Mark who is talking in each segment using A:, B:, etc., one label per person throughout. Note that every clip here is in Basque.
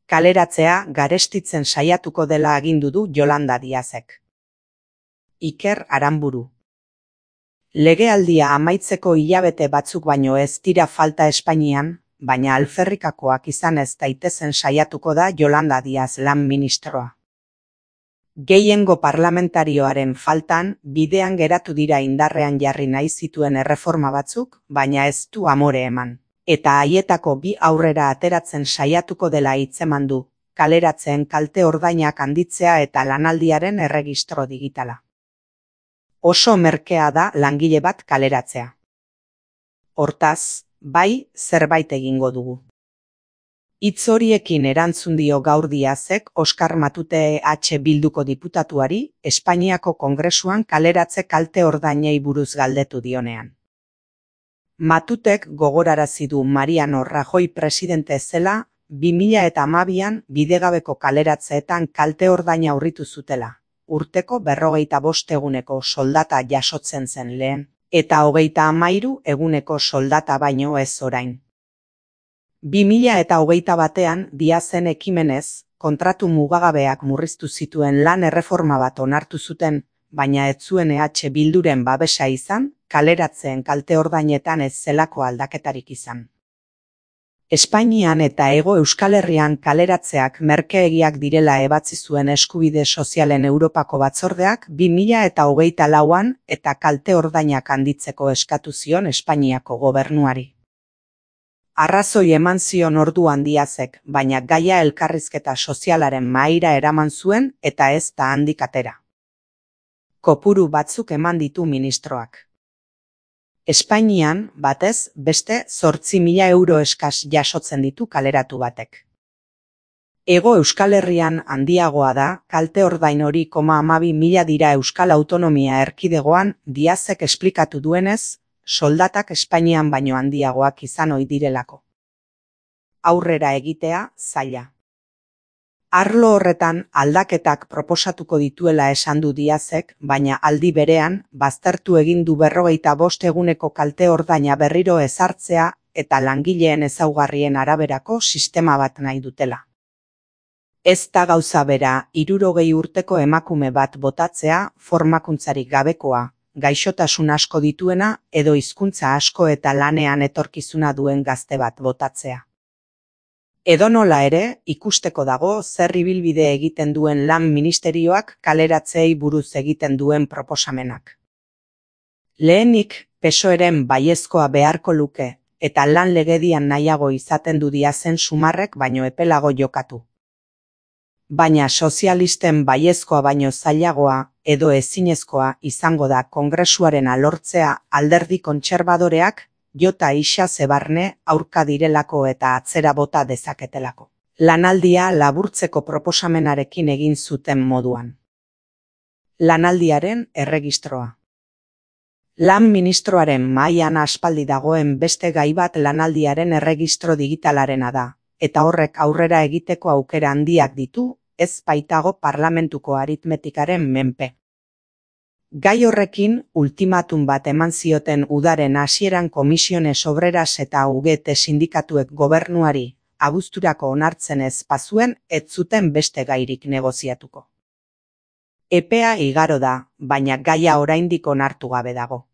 A: kaleratzea garestitzen saiatuko dela agindu du Yolanda Díazek. Iker Aranburu. Legealdia amaitzeko hilabete batzuk baino ez dira falta Espainian, baina alferrikakoak izan ez daitezen saiatuko da Yolanda Díaz lan ministroa. Gehiengo parlamentarioaren faltan, bidean geratu dira indarrean jarri nahi zituen erreforma batzuk, baina ez du amore eman. Eta haietako bi aurrera ateratzen saiatuko dela hitzeman du, kaleratzeen kalte ordainak handitzea eta lanaldiaren erregistro digitala. Oso merkea da langile bat kaleratzea. Hortaz, bai, zerbait egingo dugu. Hitz horiekin erantzun dio gaur Díazek Oskar Matute Bilduko diputatuari Espainiako Kongresuan kaleratze kalte ordainei buruz galdetu dionean. Matutek gogorarazi du Mariano Rajoy presidente zela 2012an bidegabeko kaleratzeetan kalte ordaina aurritu zutela, urteko 45 eguneko soldata jasotzen zen lehen, eta 33 eguneko soldata baino ez orain. 2021an Díazen ekimenez, kontratu mugagabeak murriztu zituen lan erreforma bat onartu zuten, baina ez zuen Bilduren babesa izan, kaleratzeen kalte ordainetan ez zelako aldaketarik izan. Espainian eta Hego Euskal Herrian kaleratzeak merkeegiak direla ebatzi zuen Eskubide Sozialen Europako Batzordeak 2024an eta kalte ordainak handitzeko eskatu zion Espainiako gobernuari. Arrazoi eman zion orduan Díazek, baina gaia elkarrizketa sozialaren mahaira eraman zuen eta ez da handik atera. Kopuru batzuk eman ditu ministroak. Espainian, batez, beste 8.000 euro eskas jasotzen ditu kaleratu batek. Hego Euskal Herrian handiagoa da, kalte ordain hori 12.000 dira Euskal Autonomia Erkidegoan, Díazek esplikatu duenez, soldatak Espainian baino handiagoak izan ohi direlako. Aurrera egitea zaila. Arlo horretan aldaketak proposatuko dituela esan du Díazek, baina aldi berean, baztertu egin du 45 eguneko kalte ordaina berriro ezartzea eta langileen ezaugarrien araberako sistema bat nahi dutela. Ez da gauza bera 60 urteko emakume bat botatzea, formakuntzarik gabekoa, gaixotasun asko dituena edo hizkuntza asko eta lanean etorkizuna duen gazte bat botatzea. Edonola ere, ikusteko dago zer ibilbide egiten duen lan ministerioak kaleratzeei buruz egiten duen proposamenak. Lehenik, PSOEren baiezkoa beharko luke, eta lan legedian nahiago izaten du Díazen sumarrek baino epelago jokatu. Baina sozialisten baiezkoa baino zailagoa edo ezinezkoa izango da Kongresuarena lortzea alderdi kontserbadoreak jota isa zebarne aurka direlako eta atzera bota dezaketelako. Lanaldia laburtzeko proposamenarekin egin zuten moduan. Lanaldiaren erregistroa. Lan ministroaren mahaian aspaldi dagoen beste gai bat lanaldiaren erregistro digitalarena da, eta horrek aurrera egiteko aukera handiak ditu, ez baitago parlamentuko aritmetikaren menpe. Gai horrekin, ultimatum bat eman zioten udaren hasieran Komisiones Obreras eta UGT sindikatuek gobernuari, abuzturako onartzen ez bazuen, ez zuten beste gairik negoziatuko. Epea igaro da, baina gaia oraindik onartu gabe dago.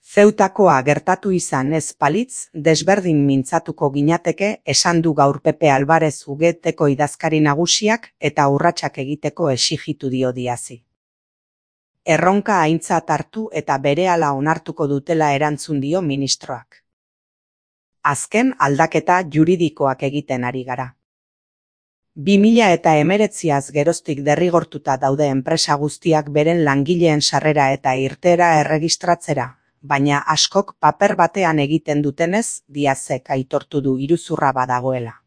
A: Zeutakoa gertatu izan ez balitz, desberdin mintzatuko ginateke esan du gaur Pepe Alvarez UGTko idazkari nagusiak eta urratsak egiteko exijitu dio Díazi. Erronka aintzat hartu eta berehala onartuko dutela erantzun dio ministroak. Azken aldaketa juridikoak egiten ari gara. 2019az geroztik derrigortuta daude enpresa guztiak beren langileen sarrera eta irteera erregistratzera, baina askok paper batean egiten dutenez, Díazek aitortu du iruzurra badagoela.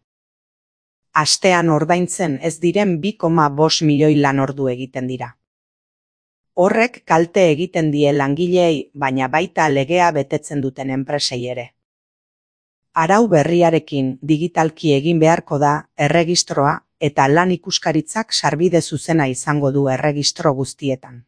A: Astean ordaintzen ez diren 2,5 milioi lanordu egiten dira. Horrek kalte egiten die langileei, baina baita legea betetzen duten enpresei ere. Arau berriarekin digitalki egin beharko da erregistroa eta lan ikuskaritzak sarbide zuzena izango du erregistro guztietan.